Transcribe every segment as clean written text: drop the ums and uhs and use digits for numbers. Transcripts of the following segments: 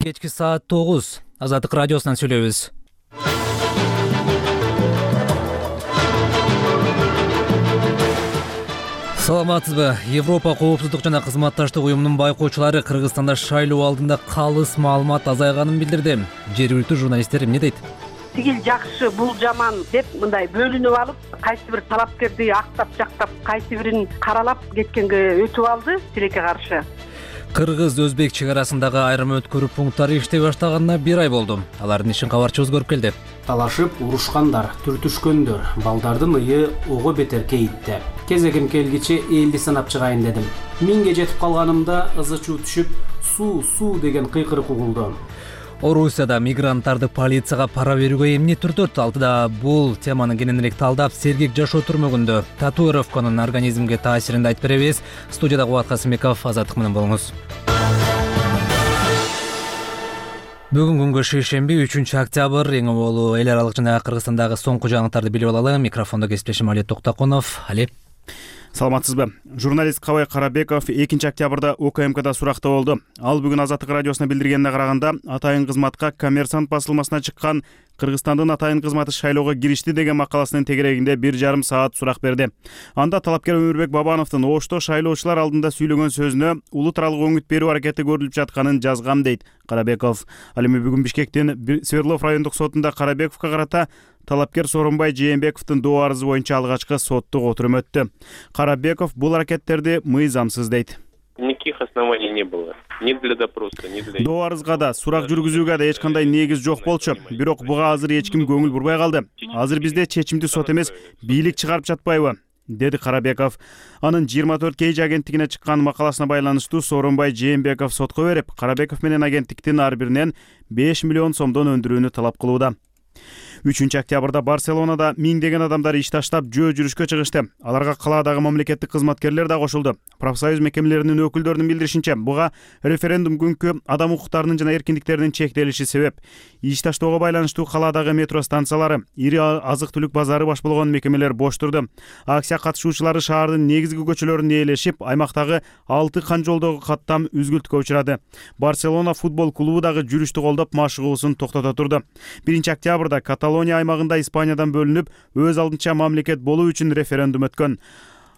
Кечки саат 9. Азаттык радиосунан сүйлөйбүз. Саламатсызбы? Европа коопсуздук жана кызматташтык уюмунун байкоочулары Кыргызстанда шайлоо алдында калыс маалымат азайганын билдирди. Жергиликтүү журналисттер эмне дейт? Тигил жакшы, бул жаман деп мындай бөлүнүп алып, кайсы бир талапкерди актап жактап, кайсы бирин каралап кеткенге өтүп алды тилекке каршы. Кыргыз-өзбек чек арасындагы айрым өткөрүү пункттары иштей баштаганына 1 ай болду. Алардын ишин кабарчыбыз көрүп келди. Талашып, урушкандар, түртүшкөндөр, балдардын ыйы ого бетер кейитти. Кезегим келгиче элди санап чыгайын дедим. 1000ге жетип калганымда ызы чуу түшүп, суу деген кыйкырык угулду. Орусияда мигранттарды полицияга пара берүүгө эмне түртөт? Алтыда бул теманы кененирээк талдап, сергек жашоо түрмөгүндө татуировканын организмге таасирин айтып беребиз. Студияда Кубат Касымбеков, Азаттык менен болуңуз. Бүгүн күнгө шейшемби 3-октябрь, эң болуу эл аралык жана Кыргызстандагы соңку жаңылыктарды билип алалы. Микрофондо кесиптешим Али Токтакунов. Али. Саламатсызбы? Журналист Кабай Карабеков 2-октябрда УКМКда суракта болду. Ал бүгүн Азаттык радиосуна билдиргенине караганда, атайын кызматка Коммерсант басылмасына чыккан Кыргызстандын атайын кызматы шайлоого киришти деген макаласынын тегерегинде 1,5 саат сурак берди. Анда талапкер Өмүрбек Бабановдун Ошто шайлоочулар алдында сүйлөгөн сөзүнө улут аралык өңүт берүү аракети көрүлүп жатканын жазгам дейт Карабеков. Ал эми бүгүн Бишкектин Свердлов райондук сотунда Карабековго карата талапкер Сооронбай Жээнбековдун доо арызы боюнча алгачкы соттук отурум өттү. Карабеков бул аракеттерди мыйзамсыз дейт. Никаких оснований не было. Ни для допроса, ни для... Доо арызга да, сурак жүргүзүүгө да эч кандай негиз жок болчу. Бирок буга азыр эч ким көңүл бурбай калды. Азыр бизде чечимди сот эмес, бийлик чыгарып жатпайбы? Деди Карабеков. Анын 24 Кейж агенттигине чыккан макаласына байланыштуу Сооронбай Жээнбеков сотко берип, Карабеков менен агенттиктин ар биринен 5 миллион сомдон өндүрүүнү талап кылууда. 3-октябрда Барселонада миңдеген адамдар иш таштап жөө жүрүшкө чыгышты. Аларга калаадагы мамлекеттик кызматкерлер да кошулду. Профсоюз мекемелеринин өкүлдөрүнүн билдиришинче, буга референдум күнкү адам укуктарынын жана эркиндиктеринин чектелиши себеп. Иш таштоого байланыштуу калаадагы метро станциялары, ири азык-түлүк базары баш болгон мекемелер бош турду. Акция катышуучулары шаардын негизги көчөлөрүн ээлешип, аймактагы 6 кан жолдогу каттам үзгүлтүккө учурады. Барселона футбол клубу дагы жүрүштү колдоп машыгуусун токтото турду. 1-октябрда Каталония аймагында Испаниядан бөлүнүп, өз алдынча мамлекет болуу үчүн референдум өткөн.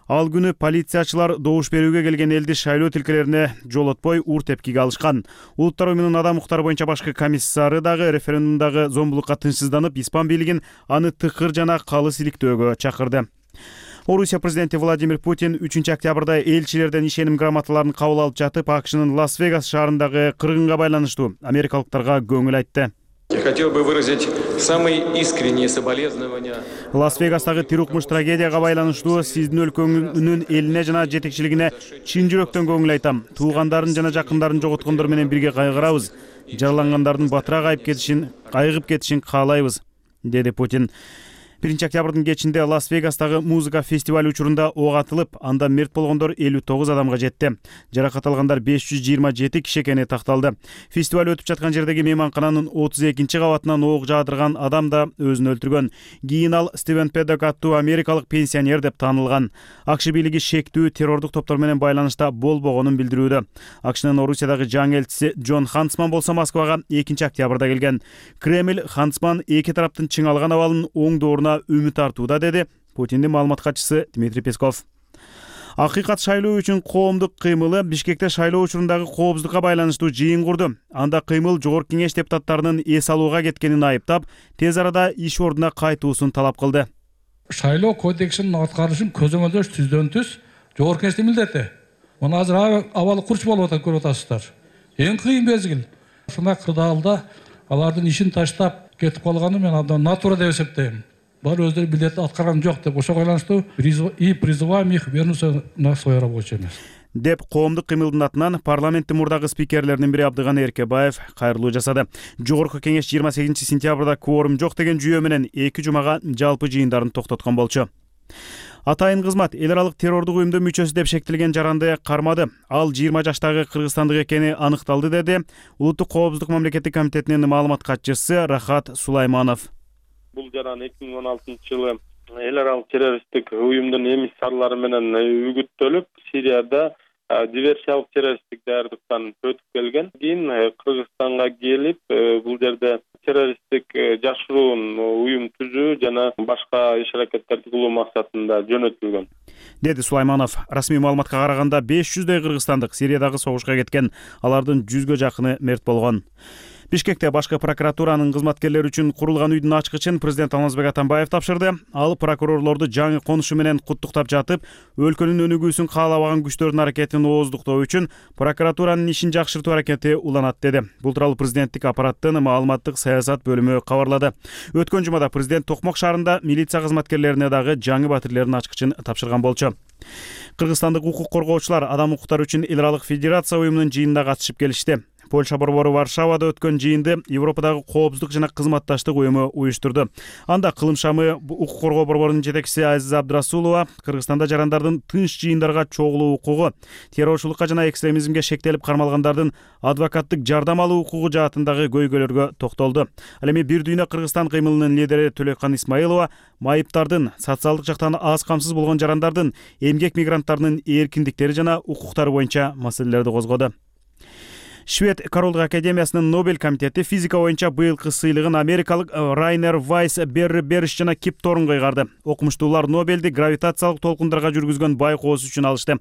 Ал күнү полициячылар добуш берүүгө келген элди шайлоо тилкелерине жолотпой ур тепкиге алышкан. Улуттар уюмунун адам укуктары боюнча башкы комиссары дагы референдумдагы зомбулукка тынчсызданып, испан бийлигин аны тыкыр жана калыс иликтөөгө чакырды. Орусия президенти Владимир Путин 3-октябрда элчилерден ишеним грамоталарын кабыл алып жатып, АКШнын Лас-Вегас шаарындагы кыргынга байланыштуу америкалыктарга көңүл айтты. Я хотел бы выразить самые искренние соболезнования. Лас-Вегастагы тирукмуш трагедияга байланыштуу сиздин өлкөңүнүн элине жана жетекчилигине чын жүрөктөн көңүл айтам. Туугандарын жана жакындарын жоготкондор менен бирге кайгырабыз. Жаралангандардын батыраак айгып кетишин каалайбыз, деди Путин. 1-октябрдын кечинде Лас-Вегастагы музыка фестиваль учурунда ок атылып, анда мерт болгондор 59 адамга жетти. Жаракат алгандар 527 киши экени такталды. Фестиваль өтүп жаткан жердеги мейманкананын 32 кабатынан ок жаадырган адам да өзүн өлтүргөн. Кийин ал Стивен Педок аттуу америкалык пенсионер деп таанылган. АКШ бийлиги шектүү террордук топтор менен байланышта болбогонун билдирүүдө. АКШнын Орусиядагы жаңы элчиси Джон Хансман болсо Москвага 2-октябрда келген. Кремль Хансман эки тараптын чыңалган абалын оңдооруна үмүт артууда, деди Путиндин маалымат катчысы Дмитрий Песков. Акыйкат шайлоо үчүн коомдук кыймылы Бишкекте шайлоо учурундағы коопсуздукка байланыштуу жыйын курду. Анда кыймыл Жогорку Кеңеш депутаттарынын эс алууга кеткенин айыптап, тез арада иш ордуна кайтуусун талап кылды. Шайлоо кодексинин аткарышын көзөмөлдөш түздөн түз Жогорку Кеңештин милдети. Муну азыр абалы курч болуп атат, көрүп атасыздар. Эң кыйын мезгил. Ушундай кырдаалда алардын ишин таштап кетип калганы мен абдан натура деп эсептейм. Бар өздері билети аткарган жок деп ошого байланыштуу и призываем их вернуться на свое рабочее место. Деп коомдук кыймылдын атынан парламенттин мурдагы спикерлеринин бири Абдыган Эркебаев кайрылуу жасады. Жогорку Кеңеш 28-сентябрда кворум жок деген жүйө менен 2 жумага жалпы жыйындарын токтоткон болчу. Атайын кызмат эл аралык террордук уюмдун мүчөсү деп шектелген жаранды кармады. Ал 20 жаштагы кыргызстандык экени аныкталды, деди Улуттук коопсуздук мамлекеттик комитетинин маалымат катчысы Рахат Сулайманов. Бул жаран 2016-жылы эл аралык террористтик уюмдун эмиссарлары менен үгүттөлүп, Сирияда диверсиялык террористтик даярдыктан өтүп келген. Кийин Кыргызстанга келип, бул жерде террористтик жашыруун уюм түзүү жана башка иш-аракеттерди кылуу максатында жөнөтүлгөн, деди Сулайманов. Расмий маалыматка караганда 500дөй кыргызстандык Сириядагы согушка кеткен, алардын 100гө жакыны мерт болгон. Бишкекте башкы прокуратуранын кызматкерлери үчүн курулган үйдүн ачкычын президент Алмазбек Атамбаев тапшырды. Ал прокурорлорду жаңы конушу менен куттуктап жатып, өлкөнүн өнүгүүсүн каалабаган күчтөрдүн аракетин ооздуктоо үчүн прокуратуранын ишин жакшыртуу аракети уланат деди. Бул тууралуу президенттик аппараттын маалыматтык саясат бөлүмү кабарлады. Өткөн жумада президент Токмок шаарында милиция кызматкерлерине дагы жаңы батирлердин ачкычын тапшырган болчу. Кыргызстандык укук коргоочулар Адам укуктары үчүн эл аралык федерация уюмунун жыйынына катышып келишти. Польша борбору Варшавада өткөн жыйынды Европадагы коопсуздук жана кызматташтык уюму уюштурду. Анда кылым шамы укук коргоо борборунун жетекчиси Азиза Абдрасулова Кыргызстанда жарандардын тынч жыйындарга чогулуу укугу, террорчулукка жана экстремизмге шектелип кармалгандардын адвокаттык жардам алуу укугу жаатындагы көйгөйлөргө токтолду. Ал эми Бир дүйнө Кыргызстан кыймылынын лидери Төлөккан Исмаилова майыптардын, социалдык жактан аз камсыз болгон жарандардын, эмгек мигранттарынын эркиндиктери жана укуктары боюнча маселелерди козгоду. Швед Королдук академиясынын Нобель комитети физика боюнча быйылкы сыйлыгын америкалык Райнер Вайс, Берри Бериш жана Кип Торнго ыйгарды. Окумуштуулар Нобелди гравитациялык толкундарга жүргүзгөн байкоосу үчүн алышты.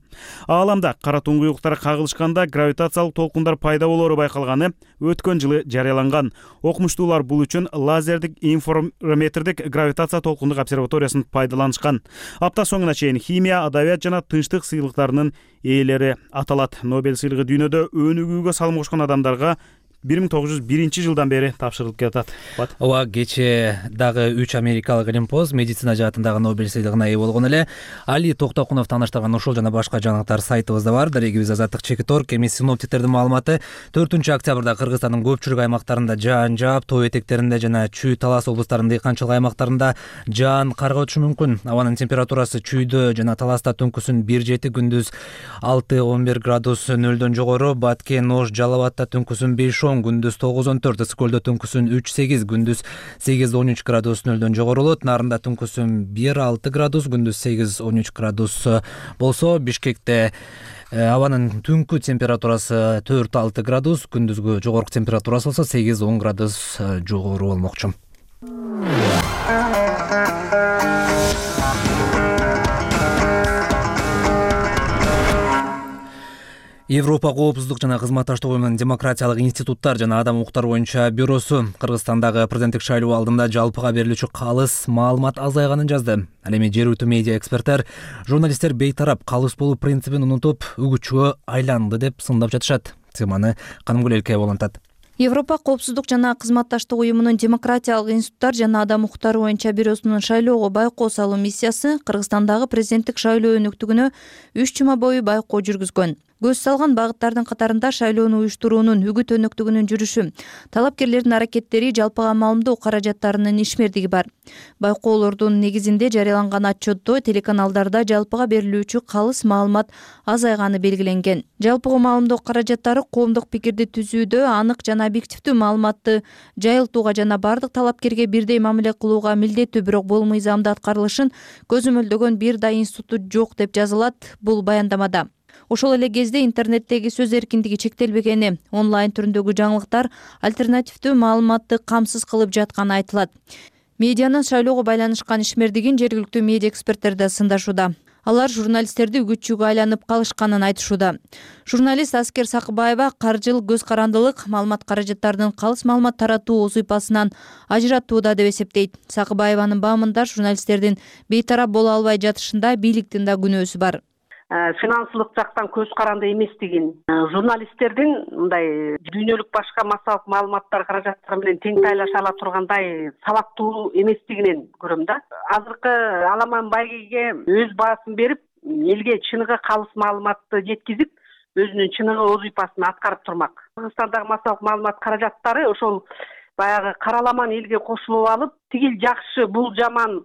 Ааламда кара туңгуюктар кагылышканда гравитациялык толкундар пайда болоору байкалганы өткөн жылы жарыяланган. Окумуштуулар бул үчүн лазердик информетрдик гравитация толкундук обсерваториясын пайдаланышкан. Апта соңуна чейин химия, адабият жана тынчтык сыйлыктарынын ээлери аталат. Нобель сыйлыгы дүйнөдө өнүгүүгө салым кошкон адамдарга 1901 жылдан бери тапшырылып келатат. Ооба, кече дагы 3 америкалык илимпоз медицина жаатындагы Нобель сыйлыгына ээ болгон эле. Али Токтокунов тааныштырган ушул жана башка жаңылыктар сайтыбызда бар. Дарегибиз Азаттык Чекитор. Эми синоптиктердин маалыматы 4-октябрда Кыргызстандын көпчүлүк аймактарында жаан жаап, тоо этектеринде жана Чүй, Талас облустарынын дыйканчылык аймактарында жаан карга өтүшү мүмкүн. Абанын температурасы Чүйдө жана Таласта түнкүсүн 1-7, күндүз 6-11 градус нөлдөн жогору, Баткен, Ош, Жалал Абадта түнкүсүн 5-10, күндүз 9-14, Ысыкөлдө түнкүсүн 3-8, күндүз 8-13 градус нөлдөн жогорулот. Нарында түнкүсүн 1-6 градус, күндүз 8-13 градус болсо, Бишкекте абанын түнкү температурасы 4-6 градус, күндүзгү жогорку температурасы болсо 8-10 градус жогору болмокчу. Европа коопсуздук жана кызматташтык уюмунун демократиялык институттар жана адам укуктары боюнча бюросу Кыргызстандагы президенттик шайлоо алдында жалпыга берилүүчү калыс маалымат азайганын жазды. Ал эми жергиликтүү медиа эксперттер журналисттер бейтарап калыс болуу принцибин унутуп, үгүтчүгө айланды деп сындап жатышат. Теманы Канымгүл Элкеева улантат. Европа коопсуздук жана кызматташтык уюмунун демократиялык институттар жана адам укуктары боюнча бюросунун шайлоого байкоо салуу миссиясы Кыргызстандагы президенттик шайлоо өнүктүгүнө 3 жума бою байкоо жүргүзгөн. Көз салган багыттардын катарында шайлоону уюштуруунун үгүт өнөктүгүнүн жүрүшү, талапкерлердин аракеттери, жалпыга маалымдоо каражаттарынын ишмердиги бар. Байкоолордун негизинде жарыяланган отчетто телеканалдарда жалпыга берилүүчү калыс маалымат азайганы белгиленген. Жалпыга маалымдоо каражаттары коомдук пикирди түзүүдө анык жана объективдүү маалыматты жайылтууга жана бардык талапкерге бирдей мамиле кылууга милдеттүү, бирок бул мыйзамда аткарылышын көзөмөлдөгөн бир да институт жок деп жазылат бул баяндамада. Ошол эле кезде интернеттеги сөз эркиндиги чектелбегени, онлайн түрүндөгү жаңылыктар альтернативдүү маалыматты камсыз кылып жатканы айтылат. Медианын шайлоого байланышкан ишмердигин жергиликтүү медиа эксперттер да сындашууда. Алар журналисттерди үгүтчүгө айланып калышканын айтышууда. Журналист Аскер Сакыбаева каржылык көз карандылык маалымат каражаттарынын калыс маалымат таратуу узыйпасынан ажыратууда деп эсептейт. Сакыбаеванын баамында журналисттердин бейтарап боло албай жатышында бийликтин да күнөөсү бар. Финансылык жактан көз каранды эместигин, журналисттердин мындай дүйнөлүк башка массалык маалыматтар каражаттары менен тең тайлаша ала тургандай сабаттуу эместигинен көрөм да. Азыркы Аламан байгеге өз баасын берип, элге чыныгы калыс маалыматты жеткизип, өзүнүн чыныгы узыйпасын аткарып турмак. Кыргызстандагы массалык маалымат каражаттары ошол баягы караламан элге кошулуп алып, тигил жакшы, бул жаман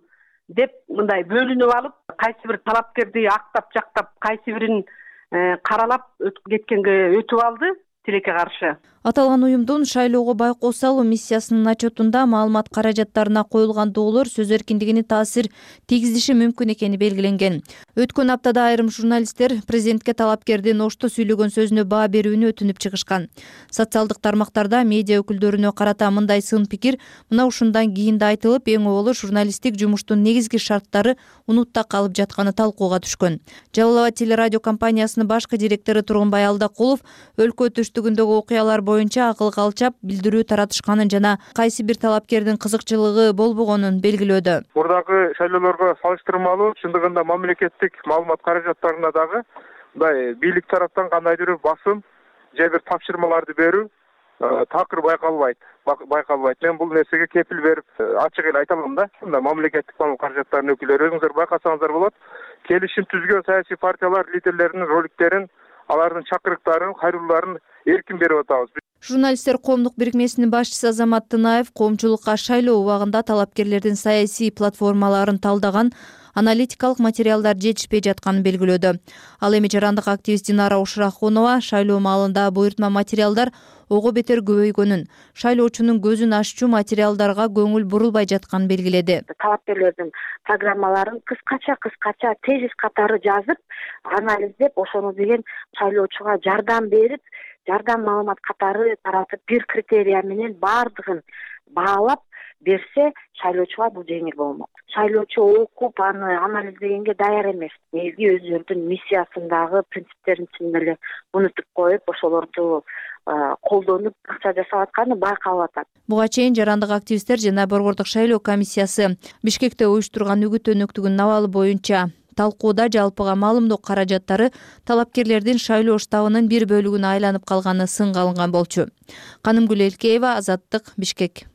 деп мындай бөлүнүп алып, кайсы бир талапкерди актап жактап, кайсы бирин каралап кеткенге өтүп алды. тилекке каршы. Аталган уюмдун шайлоого байкоо салуу миссиясынын отчетунда маалымат каражаттарына коюлган доолор сөз эркиндигине таасир тийгизиши мүмкүн экени белгиленген. Өткөн аптада айрым журналисттер президентке талапкердин ошто сүйлөгөн сөзүнө баа берүүнү өтүнүп чыгышкан. Социалдык тармактарда медиа өкүлдөрүнө карата мындай сын пикир мына ушундан кийин да айтылып, эң оболу журналисттик жумуштун негизги шарттары унутта калып жатканы талкууга түшкөн. Жалал Абад телерадио компаниясынын башкы директору Тургунбай Алдакулов өлкө түштүгүндөгү окуялар боюнча акыл калчап билдирүү таратышканын жана кайсы бир талапкердин кызыкчылыгы болбогонун белгилөөдө. Мурдагы шайлоолорго салыштырмалуу чындыгында мамлекеттик маалымат каражаттарына дагы мындай бийлик тараптан кандайдыр бир басым же бир тапшырмаларды берүү такыр байкалбайт. Мен бул нерсеге кепил берип ачык эле айта алам да. Мамлекеттик маалымат каражаттарынын өкүлдөрү өзүңүздөр байкасаңыздар болот. Келишим түзгөн саясий партиялар лидерлеринин роликтерин, алардын чакырыктарын, кайрылууларын эркин берип атабыз. Журналисттер коомдук бирикмесинин башчысы Азамат Тынаев коомчулукка шайлоо убагында талапкерлердин саясий платформаларын талдаган аналитикалык материалдар жетишпей жатканын белгилөөдө. Ал эми жарандык активист Динара Ушрахунова шайлоо маалында буйртма материалдар ого бетер көбөйгөнүн, шайлоочунун көзүн аччу материалдарга көңүл бурулбай жатканын белгиледи. Талапкерлердин программаларын кыскача тезис катары жазып, анализдеп, ошону деген шайлоочуга жардам берип, жардам маалымат катары таратып, бир критерия менен баардыгын баалап берсе, шайлоочуга бул жеңил болмок. Шайлоочу окуп, аны анализдегенге даяр эмес. Негизи өздөрүнүн миссиясындагы принциптерин чын эле унутуп коюп, ошолорду колдонуп акча жасап атканы байкалып атат. Буга чейин жарандык активисттер жана Борбордук шайлоо комиссиясы Бишкекте уюштурган үгүт өнөктүгүнүн абалы боюнча талкууда жалпыга маалымдоо каражаттары талапкерлердин шайлоо штабынын бир бөлүгүнө айланып калганы сынга алынган болчу. Канымгүл Элкеева, Азаттык, Бишкек.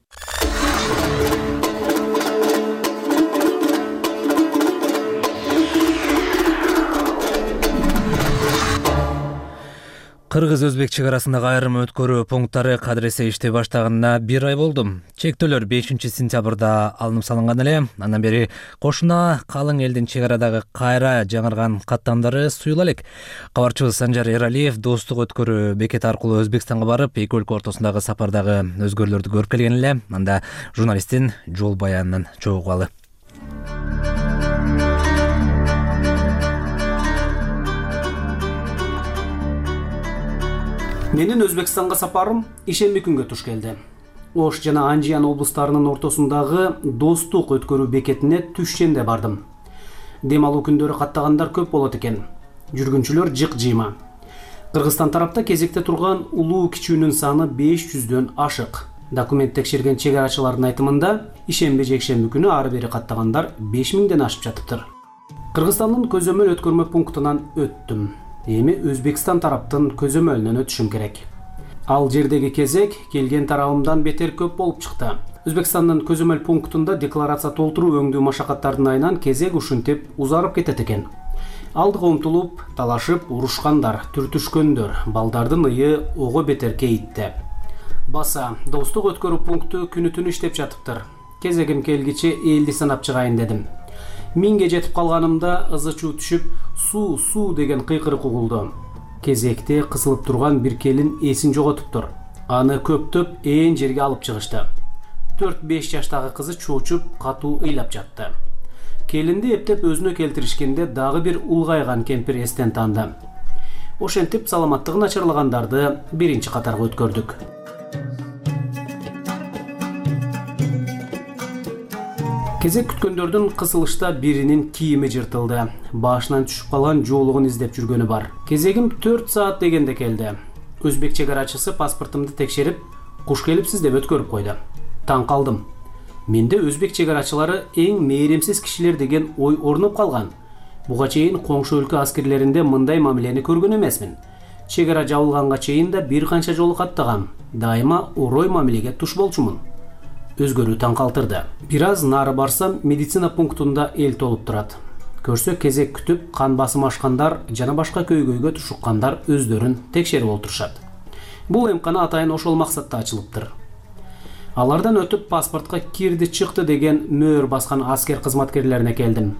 Кыргыз-өзбек чек арасындагы айрым өткөрүү пункттары кадыресе иштей баштаганына 1 ай болду. Чектөөлөр 5-сентябрда алынып салынган эле. Андан бери кошуна калың элдин чек арадагы кайра жаңырган каттамдары суюла элек. Кабарчыбыз Санжар Эралиев достук өткөрүү бекети аркылуу Өзбекстанга барып, эки өлкө ортосундагы сапардагы өзгөрүүлөрдү көрүп келген эле. Анда журналисттин жол баянын чогугалы. Менин Өзбекстанга сапарым ишемби күнгө туш келди. Ош жана Анжиян облустарынын ортосундагы достук өткөрүү бекетине түшченде бардым. Дем алуу күндөрү каттагандар көп болот экен. Жүргүнчүлөр жык-жыйма. Кыргызстан тарапта кезекте турган улуу кичүүнүн саны 500дөн ашык. Документ текшерген чек арачылардын айтымында ишемби-жекшемби күнү ары бери каттагандар 5000ден ашып жатыптыр. Кыргызстандын көзөмөл өткөрмө пунктунан өттүм. Эми Өзбекстан тараптын көзөмөлүнөн өтүшүм керек. Ал жердеги кезек келген тарабымдан бетер көп болуп чыкты. Өзбекстандын көзөмөл пунктунда декларация толтуруу өңдүү машакаттардын айынан кезек ушинтип узарып кетет экен. Алдыга умтулуп, талашып, урушкандар, түртүшкөндөр, балдардын ыйы ого бетер кейитти. Баса, достук өткөрүү пункту күнү-түнү иштеп жатыптыр. Кезегим келгиче элди санап чыгайын дедим. 1000ге жетип калганымда ызы-чуу түшүп, суу деген кыйкырык угулду. Кезекте кысылып турган бир келин эсин жоготуптур. Аны көптөп ээн жерге алып чыгышты. 4-5 жаштагы кызы чоочуп, катуу ыйлап жатты. Келинди эптеп өзүнө келтиришкенде дагы бир улгайган кемпир эстен таанды. Ошентип саламаттыгы начарлагандарды биринчи катарга өткөрдүк. Кезек күткөндөрдүн кысылышта биринин кийими жыртылды. Башынан түшүп калган жоолугун издеп жүргөнү бар. Кезегим 4 саат дегенде келди. Өзбек чек арачысы паспортумду текшерип, куш келипсиз деп өткөрүп койду. Таң калдым. Менде өзбек чек арачылары эң мээримсиз кишилер деген ой орнуп калган. Буга чейин коңшу өлкө аскерлеринде мындай мамилени көргөн эмесмин. Чек ара жабылганга чейин да бир канча жолу каттагам. Дайыма орой мамилеге туш болчумун. Өзгөрүү таң калтырды. Бир аз нары барсам, медицина пунктунда эл толуп турат. Көрсө кезек күтүп, кан басым ашкандар жана башка көйгөйгө тушуккандар өздөрүн текшерип олтурушат. Бул эмкана атайын ошол максатта ачылыптыр. Алардан өтүп паспортко кирди чыкты деген мөөр баскан аскер кызматкерлерине келдим.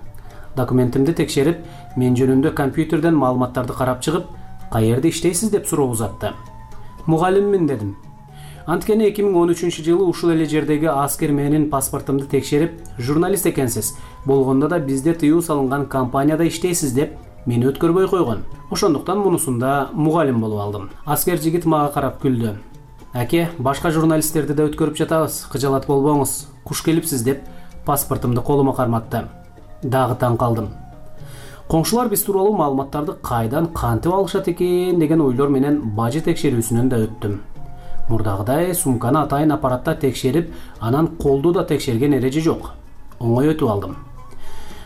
Документимди текшерип, мен жөнүндө компьютерден маалыматтарды карап чыгып, каерде иштейсиз деп суроо узатты. Мугалиммин дедим. Анткени 2013-жылы ушул эле жердеги аскер менин паспортумду текшерип, журналист экенсиз, болгондо да бизде тыюу салынган компанияда иштейсиз деп мени өткөрбөй койгон. Ошондуктан мунусунда мугалим болуп алдым. Аскер жигит мага карап күлдү. Аке, башка журналисттерди да өткөрүп жатабыз, кыжалат болбоңуз. Куш келипсиз деп паспортумду колума карматты. Дагы таң калдым. Коңшулар биз тууралуу маалыматтарды кайдан кантип алышат экен деген ойлор менен бажы текшерүүсүнөн да өттүм. Мурдагыдай сумканы атайын аппаратта текшерип, анан колду да текшерген эреже жок. Оңой өтүп алдым.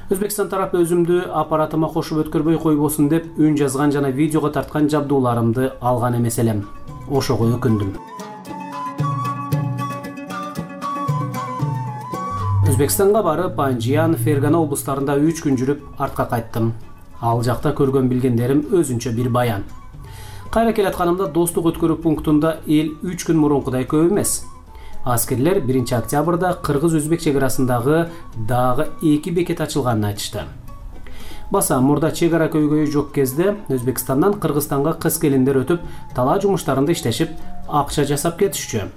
Өзбекстан тарапы өзүмдү аппаратыма кошуп өткөрбөй койбосун деп үн жазган жана видеого тарткан жабдууларымды алган эмес элем. Ошого өкүндүм. Өзбекстанга барып, Панжиян, Фергана облустарында 3 күн жүрүп, артка кайттым. Ал жакта көргөн билгендерим өзүнчө бир баян. Кайра келатканымда достук өткөрүү пунктунда эл 3 күн мурункудай көп эмес. Аскерлер 1 октябрда кыргыз-өзбек чек арасындагы дагы 2 бекет ачылганын айтышты. Баса мурда чек ара көйгөйү жок кезде Өзбекстандан Кыргызстанга кыз келиндер өтүп, талаа жумуштарында иштешип, акча жасап кетишчү.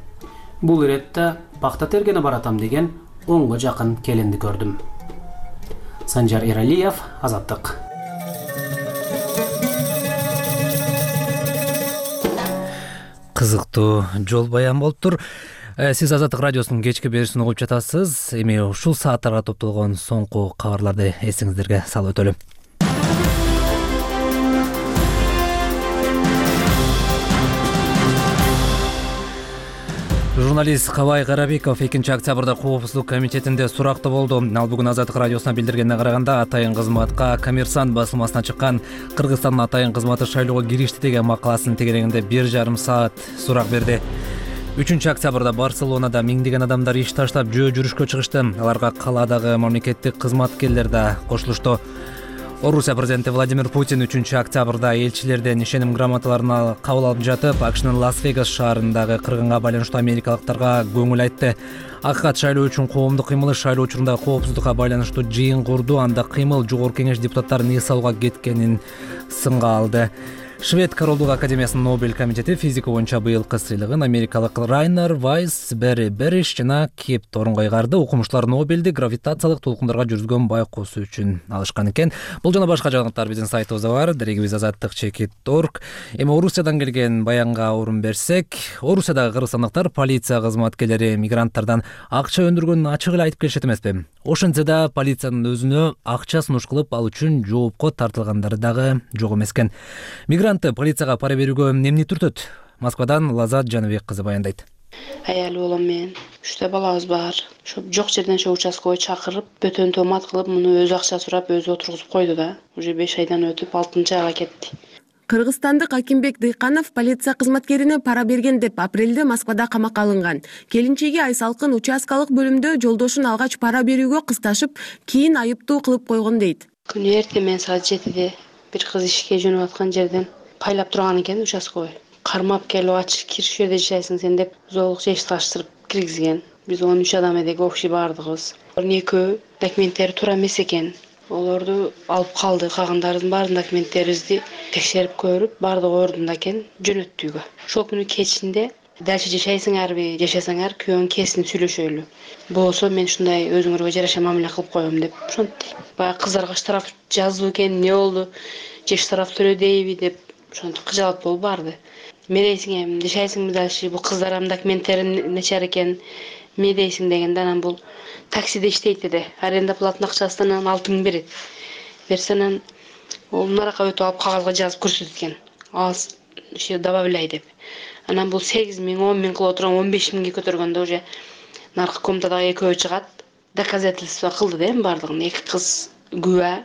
Бул иретте пакта тергене баратам деген 10го жакын келинди көрдүм. Санжар Эралиев, Азаттык. Кызыктуу жол баян болуптур. Сиз Азаттык радиосунун кечки берүүсүн угуп жатасыз. Эми ушул сааттарга топтолгон соңку кабарларды эсиңиздерге салып өтөлү. Журналист Кабай Карабеков 2 октябрда Коопсуздук комитетинде суракта болду. Ал бүгүн Азаттык радиосуна билдиргенине караганда атайын кызматка Коммерсант басылмасына чыккан Кыргызстандын атайын кызматы шайлоого киришти деген макаласынын тегерегинде 1,5 саат сурак берди. 3 октябрда Барселонада миңдеген адамдар иш таштап жөө жүрүшкө чыгышты. Аларга калаадагы мамлекеттик кызматкерлер да кошулушту. Орусия президенти Владимир Путин 3 октябрда элчилерден ишеним грамоталарын кабыл алып жатып, АКШнын Лас-Вегас шаарындагы кыргынга байланыштуу америкалыктарга көңүл айтты. Акыйкат шайлоо үчүн коомдук кыймылы шайлоо учурунда коопсуздукка байланыштуу жыйын курду, анда кыймыл Жогорку Кеңеш депутаттарын эс алууга кеткенин сынга алды. Швед Королдук академиясынын Нобель комитети физика боюнча быйылкы сыйлыгын америкалык Райнер Вайс, Берри Берриш жана Кеп Торнго ыйгарды. Окумуштар Нобелди гравитациялык толкундарга жүргүзгөн байкоосу үчүн алышкан экен. Бул жана башка жаңылыктар биздин сайтыбызда бар. Дерегибиз azattik.org. Эми Орусиядан келген баянга орун берсек, Орусиядагы кыргызстандыктар полиция кызматкерлери мигранттардан акча өндүргөнүн ачык эле айтып келишет эмеспи? Ошентсе да полициянын өзүнө акча сунуш кылып ал үчүн жоопко тартылгандары дагы жок эмес экен. Мигрантты полицияга пара берүүгө эмне түртөт? Москвадан Лазат Жаныбек кызы баяндайт. Аял болом мен. 3 балабыз бар. Ошо жок жерден ошо участкага чакырып, бөтөн томат кылып, муну өзү акча сурап, өзү отургузуп койду да. Уже 5 айдан өтүп 6-айга кетти. Кыргызстандык Акимбек Дыйканов полиция кызматкерине пара берген деп апрелде Москвада камакка алынган. Келинчеги Айсалкын участкалык бөлүмдө жолдошун алгач пара берүүгө кысташып, кийин айыптуу кылып койгон дейт. Күнү эртең мен саат 7де бир кыз ишке жөнөп аткан жерден пайлап турган экен участкага. Кармап келип ачып кириш жерде жашайсың сен деп зоолук жешташтырып киргизген. Биз 13 адам эдик, общий бардыгыбыз. Экөө документтери туура эмес экен. Олорду алып калды. Калгандардын баардык документтерибизди текшерип көрүп, баардыгы ордунда экен, жөнөттүгө. Ошол күнү кечинде дальше жашайсыңарбы, жашасаңар күйөөң кесинип сүйлөшөлү. Болсо мен ушундай өзүңөргө жараша мамиле кылып коем деп ошентти. Баягы кыздарга штраф жазуу экен, эмне болду? Же штраф төлөдейби деп ошентип кыжалат болуп барды. Медейсиң эми, жашайсыңбы дальше? Бул кыздарым документтери начар экен. Медейсиң дегенде анан бул таксиде иштейт деди. Аренда платный акчасынан 6000 берет. Берсенен ол наракка өтүп алып кагазга жазып көрсөткөн. Аз иши добавляй деп. Анан бул 8000, 10000 кылып отурган 15000ге көтөргөндө уже наркы комнатадагы экөө чыгат. Доказательство кылды да бардыгын. 2 кыз күбө.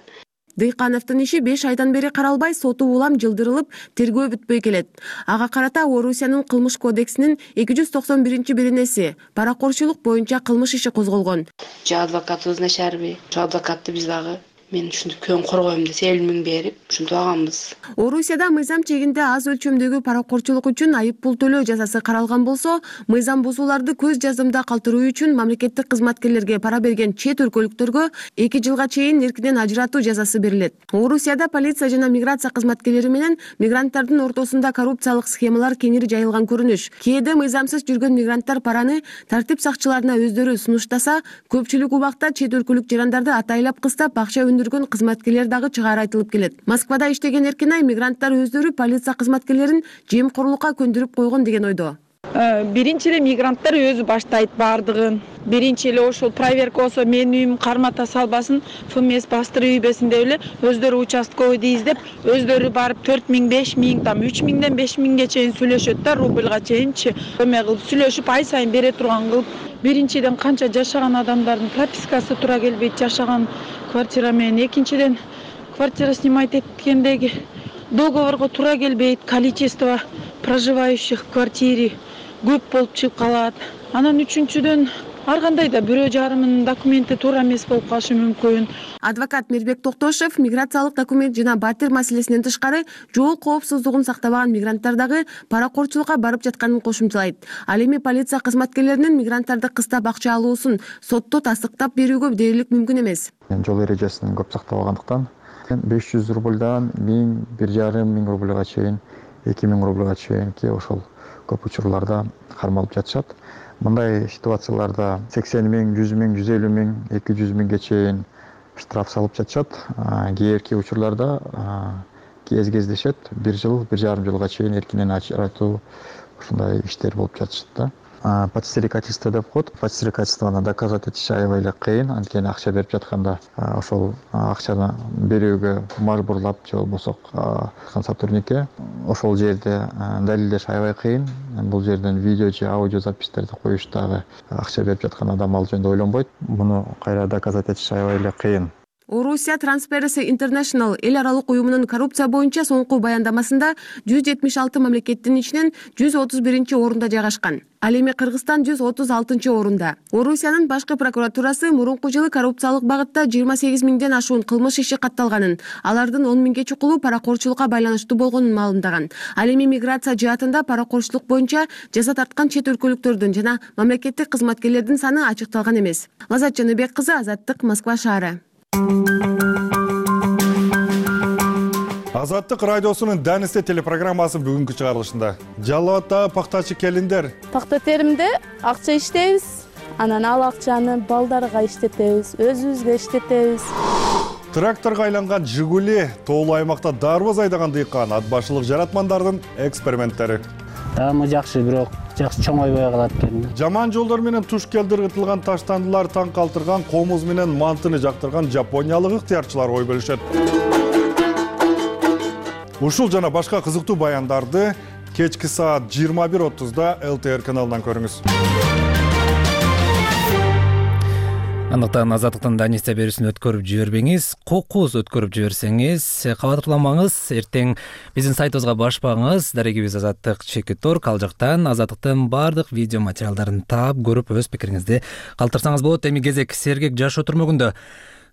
Дыйкановдун иши 5 айдан бери каралбай, соту улам жылдырылып, тергөө бүтпөй келет. Ага карата Орусиянын кылмыш кодексинин 291-беренеси паракорчулук боюнча кылмыш иши козголгон. Же адвокатыбыз начарбы? Адвокатты биз дагы мен ушинтип күйөөм коргойм десе 50 миң берип ушинтип алганбыз. Орусияда мыйзам чегинде аз өлчөмдөгү паракорчулук үчүн айып пул төлөө жазасы каралган болсо, мыйзам бузууларды көз жаздымда калтыруу үчүн мамлекеттик кызматкерлерге пара берген чет өлкөлүктөргө 2 жылга чейин эркинен ажыратуу жазасы берилет. Орусияда полиция жана миграция кызматкерлери менен мигранттардын ортосунда коррупциялык схемалар кеңири жайылган көрүнүш. Кээде мыйзамсыз жүргөн мигранттар параны тартип сакчыларына өздөрү сунуштаса, көпчүлүк убакта чет өлкөлүк жарандарды атайлап кыстап акча өндүргөн кызматкерлер дагы чыгаары айтылып келет. Москвада иштеген Эркинай мигранттар өздөрү полиция кызматкерлерин жемкорлукка көндүрүп койгон деген ойдо. Биринчи эле мигранттар өзү баштайт баардыгын. Биринчи эле ошол проверка болсо менин үйүм кармата салбасын, ФМС бастырып ийбесин деп эле өздөрү участковыйды издеп, өздөрү барып 4 миң, 5 миң, там 3 миңден 5 миңге чейин сүйлөшөт да, рубльга чейинчи. Эме кылып сүйлөшүп ай сайын бере турган кылып, биринчиден канча жашаган адамдардын пропискасы туура келбейт, жашаган квартира менен, экинчиден квартира снимать эткендеги договорго туура келбейт, количество проживающих в квартире көп болуп чыгып калат. Анан үчүнчүдөн ар кандай да бирөө жарымынын документи туура эмес болуп калышы мүмкүн. Адвокат Мирбек Токтошев миграциялык документ жана батир маселесинен тышкары жол коопсуздугун сактабаган мигранттардагы паракорчулукка барып жатканын кошумчалайт. Ал эми полиция кызматкерлеринин мигранттарды кыстап акча алуусун сотто тастыктап берүүгө дээрлик мүмкүн эмес. Жол эрежесин көп сактабагандыктан 500 рубльдан 1000, 1,5 миң рубльга чейин, 2 миң рубльга чейинки ошол көп учурларда кармалып жатышат. Мындай ситуацияларда 80 миң, 100 миң, 150 миң, 200 миңге чейин штраф салып жатышат. Кээерки учурларда кездешет 1 жыл, 1,5 жылга чейин эркинен ажыратуу ушундай иштер болуп жатышат да. Подстрекательство деп коет. Подстрекательствону доказать этиш аябай эле кыйын. Анткени акча берип жатканда ошол акчаны берүүгө мажбурлап же болбосо сотрудникке ошол жерде далилдеш аябай кыйын. Бул жерден видео же аудио записьтерди коюш дагы акча берип жаткан адам ал жөнүндө ойлонбойт. Муну кайра доказать этиш аябай эле кыйын. Орусия Transparency International эл аралык уюмунун коррупция боюнча соңку баяндамасында 176 мамлекеттин ичинен 131-орунда жайгашкан. Ал эми Кыргызстан 136-орунда. Орусиянын башкы прокуратурасы мурунку жылы коррупциялык багытта 28 миңден ашуун кылмыш иши катталганын, алардын 10 миңге чукулу паракорчулукка байланыштуу болгонун маалымдаган. Ал эми миграция жаатында паракорчулук боюнча жаза тарткан чет өлкөлүктөрдүн жана мамлекеттик кызматкерлердин саны ачыкталган эмес. Лазат Жаныбек кызы, Азаттык, Москва шаары. Азаттык радиосунун Данисте телепрограммасы бүгүнкү чыгарылышында. Жалал Абадтагы пактачы келиндер. Пакта теримде акча иштейбиз. Анан ал акчаны балдарга иштетебиз, өзүбүзгө иштетебиз. Тракторго айланган Жигули, тоолуу аймакта дарбоз айдаган дыйкан, ат башылык жаратмандардын эксперименттери. Таамы жакшы, бирок жакшы чоңойбой калат экен. Жаман жолдор менен туш келдиргитилган таштандылар таң калтырган, комуз менен мантыны жактырган жапониялык ыктыярчылар ой бөлүшөт. Ушул жана башка кызыктуу баяндарды кечки саат 21:30-да ЛТР каналынан көрүңүз. Андыктан Азаттыктын Данисте берүүсүн өткөрүп жибербеңиз, кокуз өткөрүп жиберсеңиз кабатырламаңыз. Эртең биздин сайтыбызга баш багыңыз, дарегибиз Азаттык.org, ал жактан Азаттыктын баардык видео материалдарын таап, көрүп өз пикириңизди калтырсаңыз болот. Эми кезек сергек жашоо түрмөгүндө.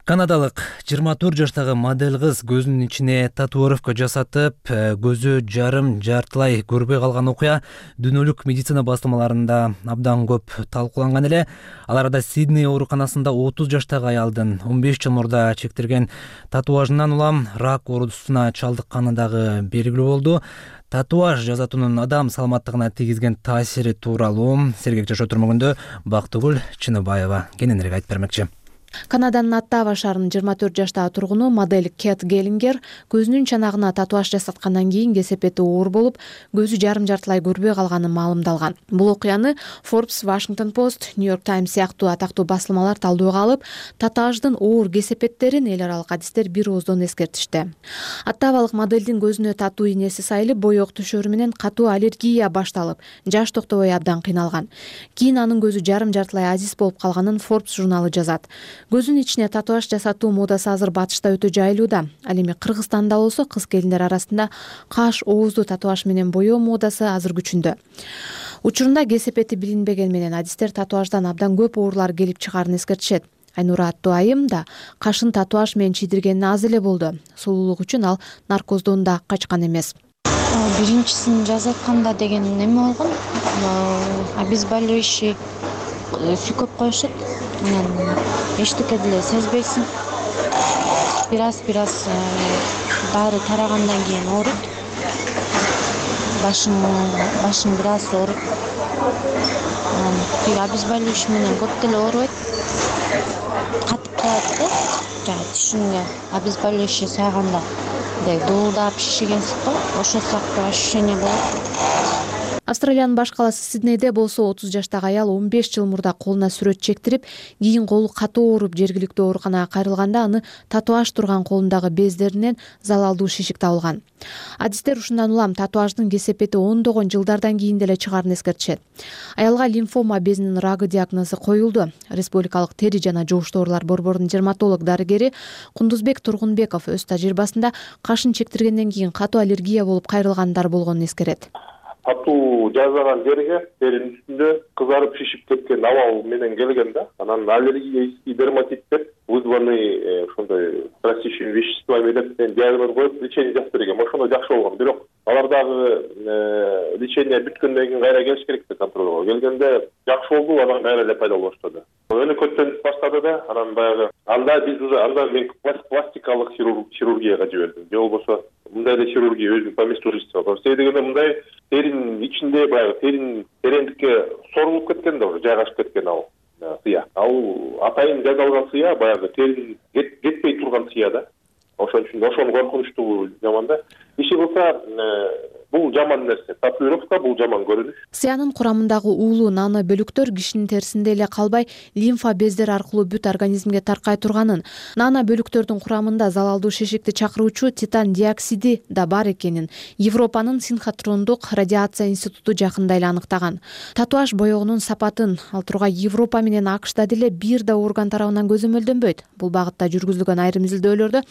Канадалык 24 жаштагы модель кыз көзүнүн ичине татуировка жасатып, көзү жартылай көрбөй калган окуя дүйнөлүк медицина басылмаларында абдан көп талкууланган эле. Ал арада Сидней ооруканасында 30 жаштагы аялдын 15 жыл мурда чектирген татуажынан улам рак оорусуна чалдыкканы дагы белгилүү болду. Татуаж жасатуунун адам саламаттыгына тийгизген таасири тууралуу сергек жашоо түрмөгүндө Бактыгүл Чыныбаева кененирээк айтып бермекчи. Канаданын Оттава шаарынын 24 жаштагы тургуну модель Кэт Геллингер көзүнүн чанагына татуаж жасаткандан кийин кесепети оор болуп, көзү жарым-жартылай көрбөй калганы маалымдалган. Бул окуяны Forbes, Washington Post, New York Times сыяктуу атактуу басылмалар талдоого алып, татуаждын оор кесепеттерин эл аралык адистер бир ооздон эскертишти. Оттавалык моделдин көзүнө татуу ийнеси сайылып, боек түшөрү менен катуу аллергия башталып, жаш токтобой абдан кыйналган. Кийин анын көзү жарым-жартылай азиз болуп калганын Forbes журналы жазат. Көзүнүн ичине татуаж жасатуу модасы азыр батышта өтө жайлууда. Ал эми Кыргызстанда болсо кыз-келиндер арасында каш, оозду татуаж менен боёо модасы азыр күчүндө. Учурунда кесепети билинбеген менен адистер татуаждан абдан көп оорулар келип чыгаарын эскертишет. Айнура аттуу айым да кашын татуаж менен чийдиргени аз эле болду. Сулуулук үчүн ал наркоздон да качкан эмес. Биринчисин жазатканда деген неме болгон? Обезболивающий сүйкөп коюшат. Анан эчтеке деле сезбейсиң. Бираз дары тарагандан кийин ооруйт. Башың бираз ооруйт. Тиги обезболивающий менен көп деле оорубайт. Катып калат да. Түшүнгө обезболивающий сайганда дуулдап шишигенсип го, ошол сыяктуу ощущение болот. Австралиянын баш калаасы Сиднейде болсо 30 жаштагы аял 15 жыл мурда колуна сүрөт чектирип, кийин колу катуу ооруп жергиликтүү ооруканага кайрылганда аны татуаж турган колундагы бездеринен залалдуу шишик табылган. Адистер ушундан улам татуаждын кесепети ондогон жылдардан кийин деле чыгаарын эскертишет. Аялга лимфома безинин рагы диагнозу коюлду. Республикалык тери жана жугуш оорулар борборунун дерматолог дарыгери Кундузбек Тургунбеков өз тажрыйбасында кашын чектиргенден кийин катуу аллергия болуп кайрылгандар болгонун эскерет. Татуу жазган жерге теринин үстүндө кызарып шишип кеткен абал менен келген да. Анан аллергический дерматит деп вызванный ошондой растущими веществами деп диагноз коюп лечение жазып берген. Ошондо жакшы болгон. Бирок алардагы лечение бүткөндөн кийин кайра келиш керек да контролго. Келгенде жакшы болду, анан кайра эле пайда болуп баштады. Өнөкөттөнүп баштады да, анан баягы биз уже мен пластикалык хирургияга жибердим. Же болбосо мындай эле хирургия өзүнүн по месту жительства. Себеби дегенде мындай теринин ичинде баягы тереңдикке сорулуп кеткен да, уже жайгашып кеткен ал сыя. Ал атайын жасалган сыя баягы теринин кетпей турган сыя да. Ошон үчүн ошону коркунучтуу жаман да. Иши болсо бул жаман нерсе. Татуировка бул жаман көрүнүш. Сыянын курамындагы уулуу нано бөлүктөр кишинин терисинде эле калбай, лимфа бездер аркылуу бүт организмге таркай турганын, нано бөлүктөрдүн курамында залалдуу шишикти чакыруучу титан диоксиди да бар экенин Европанын синхотрондук радиация институту жакында эле аныктаган. Татуаж боёгунун сапатын ал тургай Европа менен АКШда деле бир да орган тарабынан көзөмөлдөнбөйт. Бул багытта жүргүзүлгөн айрым изилдөөлөрдө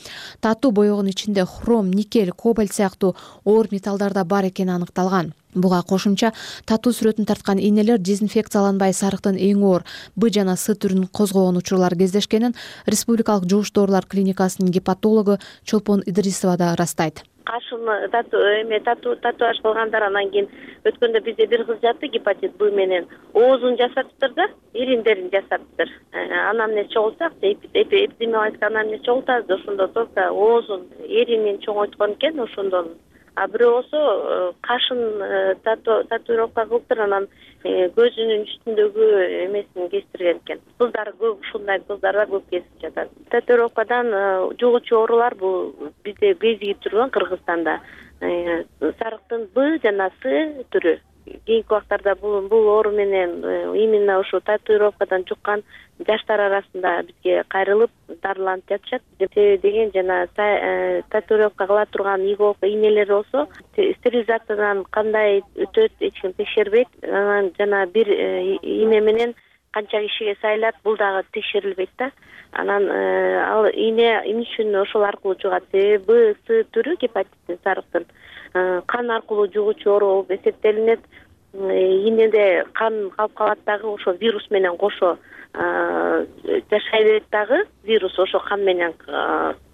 татуу боёгунун ичинде хром, никель, кобальт сыяктуу оор металлдар бар экени аныкталган. Буга кошумча татуу сүрөтүн тарткан ийнелер дезинфекцияланбай сарыктын эң оор Б жана С түрүн козгогон учурлар кездешкенин Республикалык жугуш оорулар клиникасынын гепатологу Чолпон Идрисова да ырастайт. Кашын татуаж кылгандар анан кийин өткөндө бизде бир кыз жатты гепатит Б менен оозун жасатыптыр да, ириндерин жасатыптыр. Анамнез чогултсак, эпидемиологик анамнез чогултабыз, ошондо только оозун эринин чоңойткон экен ошондон. А бирөө болсо кашын татуировка кылыптыр, анан көзүнүн үстүндөгү эмесин кестирген экен. Кыздар көп, ушундай кыздар да көп кесип жатат. Татуировкадан жугуучу оорулар бул бизде безиги турган Кыргызстанда сарыктын Б жана С түрү. Кийинки убактарда бул оору менен именно ошо татуировкадан жуккан жаштар арасында бизге кайрылып дарыланып жатышат. Себеби деген жана татуировка кыла турган иголка ийнелер болсо стерилизациядан кандай өтөт, эч ким текшербейт. Анан жана бир ийне менен канча кишиге сайылат, бул дагы текшерилбейт да. Анан ал ийне эмне үчүн ошол аркылуу жугат? Себеби Б, С түрү гепатиттин сарыктын кан аркылуу жугуучу оору болуп эсептелинет. Ийнеде кан калып калат дагы, ошо вирус менен кошо жашай берет дагы, вирус ошо кан менен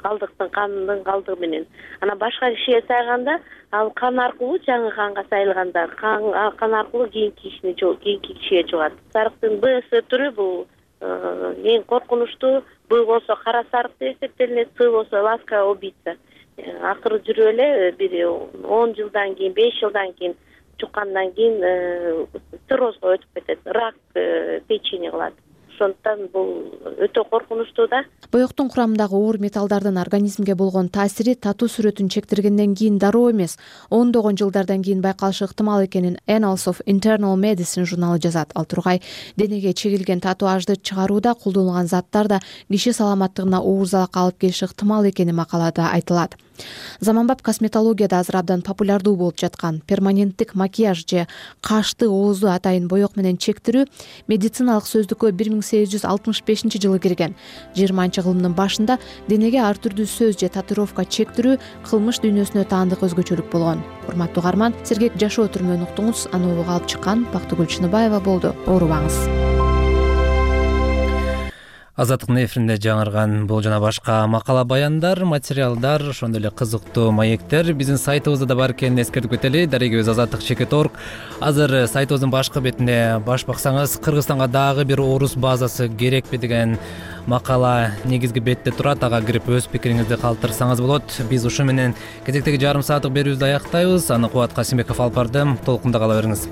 кандын калдыгы менен. Анан башка кишиге сайганда ал кан аркылуу жаңы канга сайылганда кан аркылуу кийинки кишиге жугат. Сарыктын Б, С түрү бул эң коркунучтуу. Б болсо кара сарык деп эсептелинет, С болсо ласка убийца. Акыры жүрүп эле бир 10 жылдан кийин, 5 жылдан кийин жуккандан кийин циррозго өтүп кетет, рак печени кылат. Ошондуктан бул өтө коркунучтуу да. Боёктун курамындагы оор металлдардын организмге болгон таасири татуу сүрөтүн чектиргенден кийин дароо эмес, ондогон жылдардан кийин байкалышы ыктымал экенин Annals of Internal Medicine журналы жазат. Ал тургай денеге чегилген татуажды чыгарууда колдонулган заттар да киши саламаттыгына оорузалык алып келиши ыктымал экени макалада айтылат. Заманбап косметологияда азыр абдан популярдуу болуп жаткан перманенттик макияж же кашты, оозду атайын боёк менен чектирүү медициналык сөздүккө 1865-жылы кирген. 20-кылымдын башында денеге ар түрдүү сөз же татуировка чектирүү кылмыш дүйнөсүнө таандык өзгөчөлүк болгон. Урматтуу угарман, сергек жашоо түрмөөн уктуңуз. Аны угуп алып чыккан Бактыгүл Чыныбаева болду. Оорубаңыз. Азаттыктын эфиринде жаңырган бул жана башка макала баяндар, материалдар, ошондой эле кызыктуу маектер биздин сайтыбызда да бар экенин эскертип кетели. Дарегибиз azatlyk.org. Азыр сайтыбыздын башкы бетинде баш баксаңыз, Кыргызстанга дагы бир орус базасы керекпи деген макала негизги бетте турат. Ага кирип өз пикириңизди калтырсаңыз болот. Биз ушу менен кезектеги жарым сааттык берүүбүздү аяктайбыз. Аны Кубат Касимбеков алып барды. Толкунда кала бериңиз.